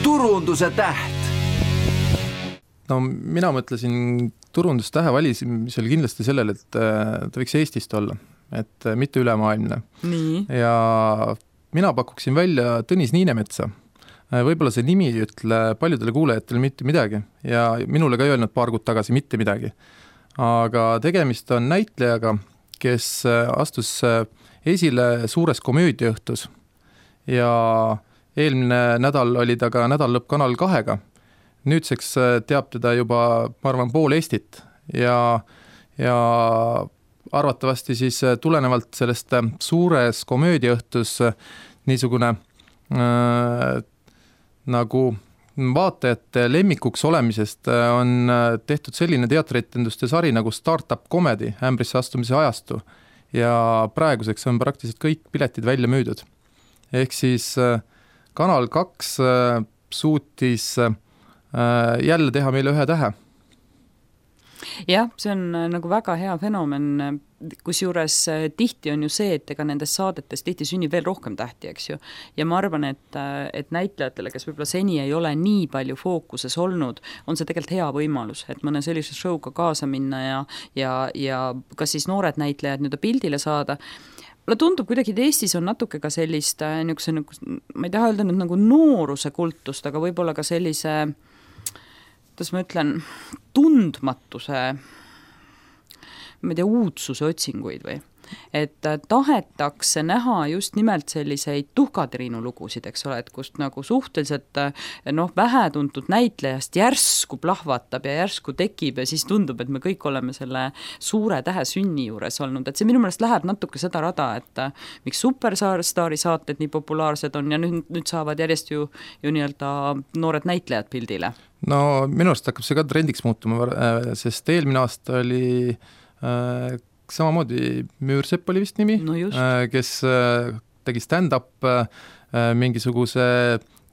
turunduse täht. No mina mõtlesin turundustähe valimisel kindlasti sellele, et ta võiks Eestist olla, et mitte ülemaailmne. Nii. Ja mina pakuksin välja Tõnis Niinemetsa. Võib-olla see nimi ei ütle paljudele kuulajatele mitte midagi ja minule ka ei öelnud paar kuud tagasi mitte midagi. Aga tegemist on näitlejaga, kes astus esile suures komöödiaõhtus ja eelmine nädal oli ta ka nädallõpp Kanal 2-ga. Nüüdseks teab teda juba, ma arvan, pool Eestit ja arvatavasti siis tulenevalt sellest suures komöödiaõhtus niisugune nagu vaatajate lemmikuks olemisest on tehtud selline teatrietenduste sari nagu Startup Comedy, ämbrisse astumise ajastu ja praeguseks on praktiliselt kõik piletid välja müüdud. Ehk siis Kanal 2 suutis jälle teha meile ühe tähe. Jah, see on nagu väga hea fenomen, kusjuures tihti on ju see, et ega nendes saadetes tihti sünnib veel rohkem tähti, eks ju. Ja ma arvan, et näitlejatele, kes võib-olla seni ei ole nii palju fookuses olnud, on see tegelikult hea võimalus, et mõne sellise showga kaasa minna ja kas siis noored näitlejad nüüd pildile saada. Mulle tundub kuidagi, et Eestis on natuke ka sellist, ma ei taha öelda nüüd nagu nooruse kultust, aga võib-olla ka sellise, kuidas ma ütlen, tundmatuse, ma ei tea, uudsuse otsinguid või. Et tahetakse näha just nimelt selliseid tuhkatriinu lugusid, eks ole, et kust nagu suhteliselt vähetuntud näitlejast järsku plahvatab ja järsku tekib ja siis tundub, et me kõik oleme selle suure tähe sünni juures olnud. Et see minu meelest läheb natuke seda rada, et miks Superstaari saated nii populaarsed on ja nüüd saavad järjest ju nii-öelda noored näitlejad pildile. No minu arust hakkab see ka trendiks muutuma, sest eelmine aasta oli samamoodi Müürsepp oli vist nimi, kes tegi stand-up mingisuguse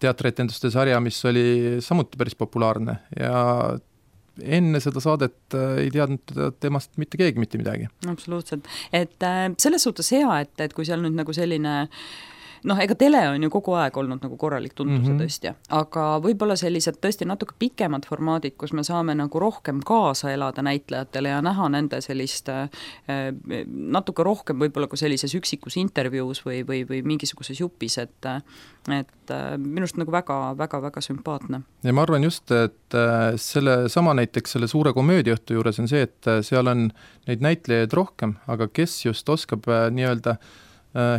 teatrietenduste sarja, mis oli samuti päris populaarne ja enne seda saadet ei teadnud temast mitte keegi mitte midagi. Absoluutselt. Et selles suhtes hea, et kui seal nüüd nagu selline ega tele on ju kogu aeg olnud nagu korralik tuntuse tõstja, aga võib-olla sellised tõesti natuke pikemad formaadid, kus me saame nagu rohkem kaasa elada näitlejatele ja näha nende sellist natuke rohkem võib-olla kui sellises üksikus intervjuus või mingisuguses jupis, et minust nagu väga sümpaatne. Ja ma arvan just, et selle sama näiteks selle suure komöödiaõhtu juures on see, et seal on neid näitlejaid rohkem, aga kes just oskab nii-öelda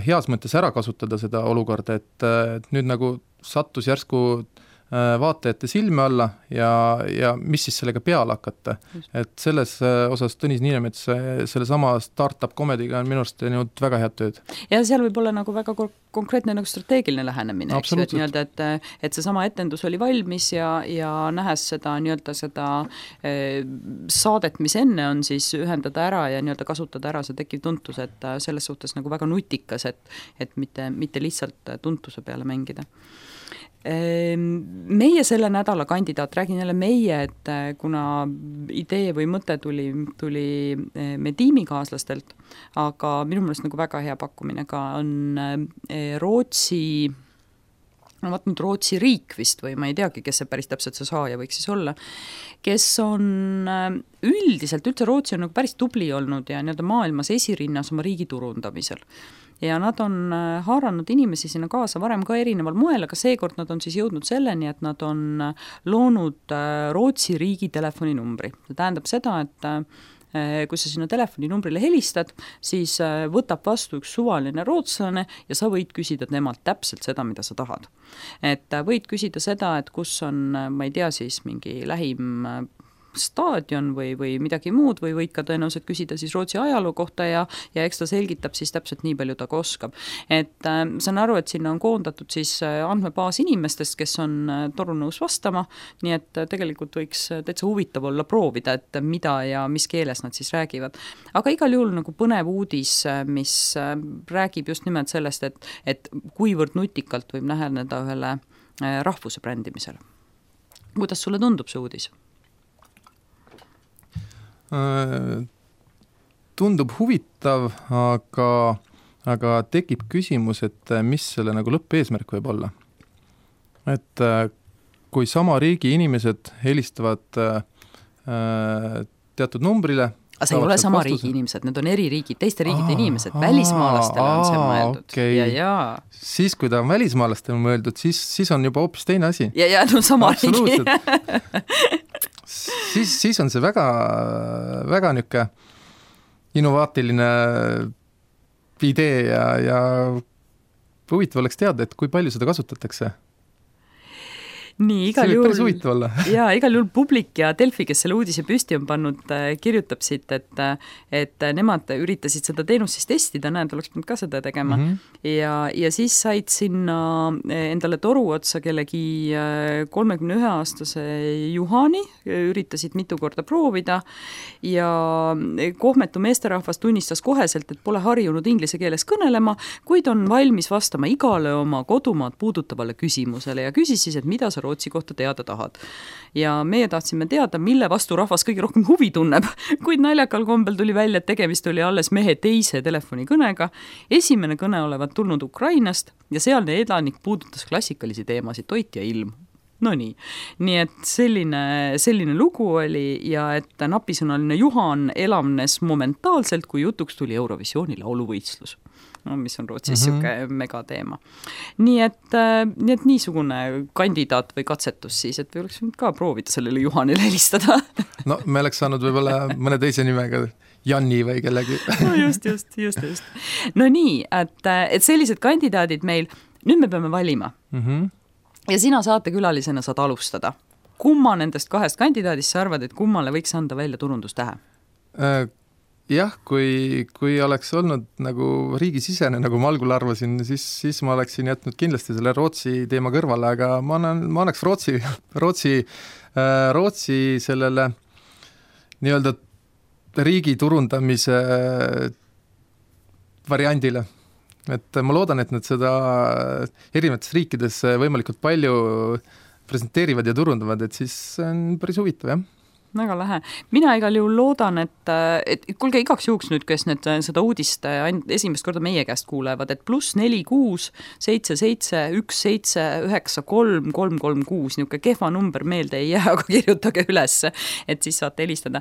heas mõttes ära kasutada seda olukorda, et nüüd nagu sattus järsku vaatajate silme alla ja mis siis sellega peale hakata. Et selles osas Tõnis Niinemets selle sama Startup Comedyga on minu arust teinud väga head tööd. Ja seal võib olla nagu väga konkreetne nagu strateegiline lähenemine, eks ju, et see sama etendus oli valmis ja nähes seda nii-öelda seda saadet, mis enne on, siis ühendada ära ja nii-öelda kasutada ära see tekkiv tuntus, et selles suhtes nagu väga nutikas, et mitte lihtsalt tuntuse peale mängida. Meie selle nädala kandidaat, räägin jälle meie, et kuna idee või mõte tuli me tiimikaaslastelt, aga minu meelest nagu väga hea pakkumine ka on Rootsi riik vist või ma ei teagi, kes see päris täpselt see saaja võiks siis olla, kes on üldiselt, üldse Rootsi on nagu päris tubli olnud ja nii-öelda maailmas esirinnas oma riigi turundamisel. Ja nad on haaranud inimesi sinna kaasa varem ka erineval moel, aga seekord nad on siis jõudnud selleni, et nad on loonud Rootsi riigi telefoninumbri. See tähendab seda, et kui sa sinna telefoninumbrile helistad, siis võtab vastu üks suvaline rootslane ja sa võid küsida temalt täpselt seda, mida sa tahad. Et võid küsida seda, et kus on, ma ei tea siis, mingi lähim staadion või midagi muud või võid ka tõenäoliselt küsida siis Rootsi ajaloo kohta ja eks ta selgitab siis täpselt nii palju ta ka oskab. Et saan aru, et sinna on koondatud siis andmebaas inimestest, kes on torunõus vastama, nii et tegelikult võiks täitsa huvitav olla proovida, et mida ja mis keeles nad siis räägivad. Aga igal juhul nagu põnev uudis, mis räägib just nimelt sellest, et kuivõrd nutikalt võib läheneda ühele rahvuse brändimisele. Kuidas sulle tundub see uudis? Tundub huvitav, aga tekib küsimus, et mis selle nagu lõppeesmärk võib olla. Et kui sama riigi inimesed helistavad teatud numbrile. Aga see ei ole sama riigi inimesed, need on eri riigid, teiste riigide inimesed, välismaalastele on see mõeldud. Okay. Siis, kui ta on välismaalastele mõeldud, siis on juba hoopis teine asi. Ja no sama riigi. siis on see väga, väga niuke innovaatiline idee ja huvitav oleks teada, et kui palju seda kasutatakse. Nii, igal juhul Publik ja Delfi, kes selle uudise püsti on pannud, kirjutab siit, et nemad üritasid seda teenust siis testida, näed, oleks pidanud ka seda tegema. Ja siis said sinna endale toru otsa kellegi 31-aastase Juhani, üritasid mitu korda proovida ja kohmetu meesterahvas tunnistas koheselt, et pole harjunud inglise keeles kõnelema, kuid on valmis vastama igale oma kodumaad puudutavale küsimusele ja küsis siis, et mida sa Rootsi kohta teada tahad. Ja meie tahtsime teada, mille vastu rahvas kõige rohkem huvi tunneb, kuid naljakal kombel tuli välja, et tegemist oli alles mehe teise telefonikõnega. Esimene kõne olevat tulnud Ukrainast ja sealne elanik puudutas klassikalisi teemasid, toit ja ilm. No nii et selline lugu oli ja et napisõnaline Juhan elavnes momentaalselt, kui jutuks tuli Eurovisiooni lauluvõistlus. No, mis on Rootsis siuke megateema. Nii et niisugune kandidaat või katsetus siis, et võiks ka proovida sellele Juhanile helistada. No me oleks saanud võib-olla mõne teise nimega Janni või kellegi. No just. No nii, et sellised kandidaadid meil, nüüd me peame valima. Ja sina saatekülalisena saad alustada. Kumma nendest kahest kandidaadist sa arvad, et kummale võiks anda välja turundustähe? Jah, kui oleks olnud nagu riigisisene, nagu ma algul arvasin, siis ma oleksin jätnud kindlasti selle Rootsi teema kõrvale, aga ma annaks Rootsi sellele nii-öelda riigi turundamise variandile. Et ma loodan, et nad seda erinevates riikides võimalikult palju presenteerivad ja turundavad, et siis on päris huvitav, jah. Väga lähe. Mina igal juhul loodan, et kuulge igaks juhuks nüüd, kes nüüd seda uudist esimest korda meie käest kuulevad, et +46 77 17 93 336, niuke kehva number meelde ei jää, aga kirjutage üles, et siis saate helistada.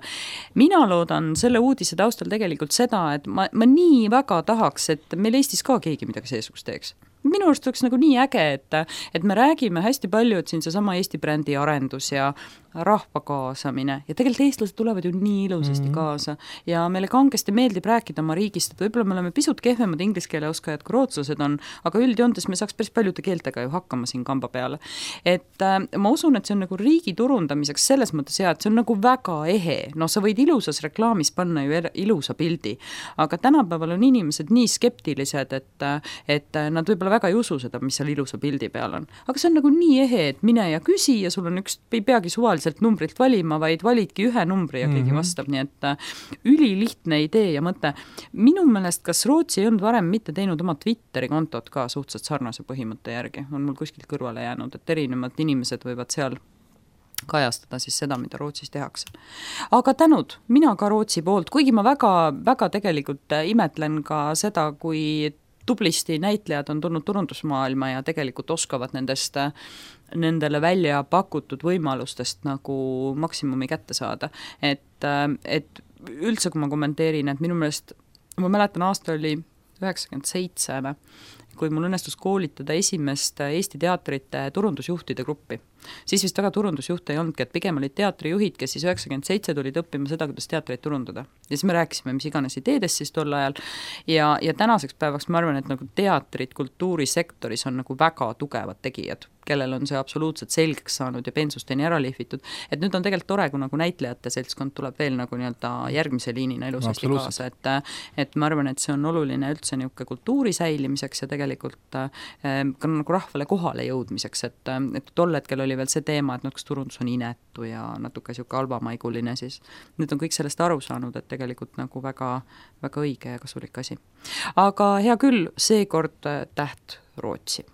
Mina loodan selle uudise taustal tegelikult seda, et ma nii väga tahaks, et meil Eestis ka keegi midagi seesugust teeks. Minu arust oleks nagu nii äge, et me räägime hästi palju, et siin see sama Eesti brändi arendus ja rahva kaasamine ja tegelikult eestlased tulevad ju nii ilusasti kaasa ja meile kangesti meeldib rääkida oma riigist, et võib-olla me oleme pisut kehvemad ingliskeele oskajad kui rootslased on, aga üldjoontes me saaks päris paljude keeltega ju hakkama siin kamba peale. Et ma usun, et see on nagu riigi turundamiseks selles mõttes hea, et see on nagu väga ehe. No sa võid ilusas reklaamis panna ju ilusa pildi, aga tänapäeval on inimesed nii skeptilised, et nad võib-olla väga ei usu seda, mis seal ilusa pildi peal on. Aga see on nagu nii ehe, et mine ja küsi ja sul on ei peagi suvaliselt numbrilt valima, vaid validki ühe numbri ja keegi vastab, nii et ülilihtne idee ja mõte. Minu meelest, kas Rootsi ei olnud varem mitte teinud oma Twitteri kontot ka suhteliselt sarnase põhimõtte järgi, on mul kuskilt kõrvale jäänud, et erinevad inimesed võivad seal kajastada siis seda, mida Rootsis tehakse. Aga tänud, mina ka Rootsi poolt, kuigi ma väga tegelikult imetlen ka seda, kui tublisti näitlejad on tulnud turundusmaailma ja tegelikult oskavad nendele välja pakutud võimalustest nagu maksimumi kätte saada. Et üldse, kui ma kommenteerin, et minu meelest, ma mäletan aasta oli 97, kui mul õnnestus koolitada esimest Eesti teatrite turundusjuhtide gruppi. Siis vist väga turundusjuhte ei olnudki, et pigem olid teatrijuhid, kes siis 97 tulid õppima seda, kuidas teatreid turundada. Ja siis me rääkisime, mis iganes ideedest siis tol ajal. Ja tänaseks päevaks ma arvan, et nagu teatrid kultuurisektoris on nagu väga tugevad tegijad, kellel on see absoluutselt selgeks saanud ja pensusteni ära lihvitud. Et nüüd on tegelikult tore, kui nagu näitlejate seltskond tuleb veel nagu nii-öelda järgmise liinina ilusasti kaasa. Et ma arvan, et see on oluline üldse niuke kultuuri säilimiseks ja tegelikult ka nagu rahvale kohale jõudmiseks, et tol hetkel oli veel see teema, et kas turundus on inetu ja natuke siuke albamaiguline, siis nüüd on kõik sellest aru saanud, et tegelikult nagu väga, väga õige ja kasulik asi. Aga hea küll, seekord täht Rootsi.